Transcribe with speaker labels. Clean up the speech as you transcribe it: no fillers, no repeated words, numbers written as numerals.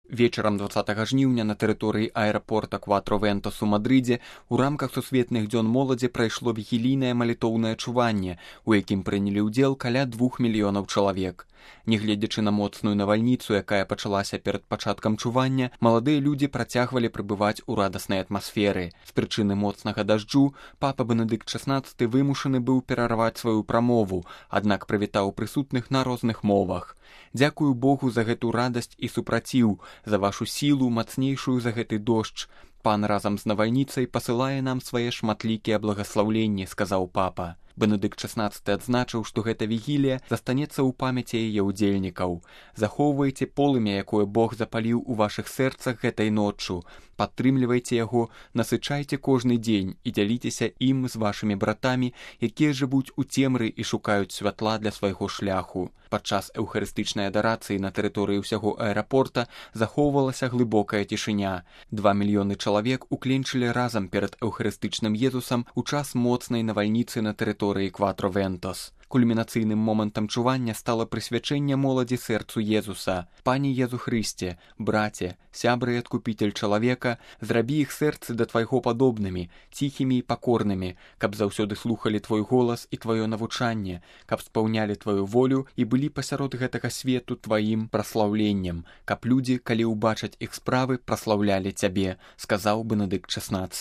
Speaker 1: Вечарам 20 жніўня на тэрыторыі аэрапорта Кватро-Вентос у Мадрыдзе у рамках сусветных дзён моладзі прайшло вігілійнае малітоўнае чуванне, у якім прынялі ўдзел каля 2 мільёнаў чалавек. Нягледзячы на моцную навальніцу, якая пачалася перад пачаткам чування, маладыя людзі працягвалі прыбываць у радаснай атмасферы. З прычыны моцнага дажджу папа Бенедыкт XVI вымушаны быў перарваць сваю прамову, аднак прывітаў прысутных на розных мовах. Дзякую Богу за гэту радасць і супраціў, за вашу сілу, мацнейшую за гэты дождж. Пан разам з навальніцай пасылае нам свае шматлікія благаслаўленні, сказаў папа. Бенедыкт XVI адзначыў, што гэта вігілія застанецца ў памяці яе ўдзельнікаў. Захоўвайце полымя, якое Бог запаліў у вашых сэрцах гэтай ноччу. Падтрымлівайце яго, насычайце кожны дзень і дзяліцеся ім з вашымі братамі, якія жывуць у цемры і шукаюць святла для свайго шляху. Падчас эўхарыстычнай адарацыі на тэрыторыі ўсяго аэрапорта захоўвалася глыбокая цішыня. 2 мільёны чалавек укленчылі разам перад эўхарыстычным Езусам у час моцнай навальніцы на тэрыторыі Кватро-Вентос. Кульмінацыйным момантам чування стала прысвячэнне моладзі сэрцу Езуса. Пане Езу Хрысце, браце, сябры і адкупіцель чалавека, зрабі іх сэрцы да твайго падобнымі, ціхімі і пакорнымі, каб заўсёды слухалі твой голас і тваё навучанне, каб спаўнялі тваю волю і былі пасярод гэтага свету тваім праслаўленнем, каб людзі, калі ўбачаць іх справы, праслаўлялі цябе, сказаў Бенедыкт XVI.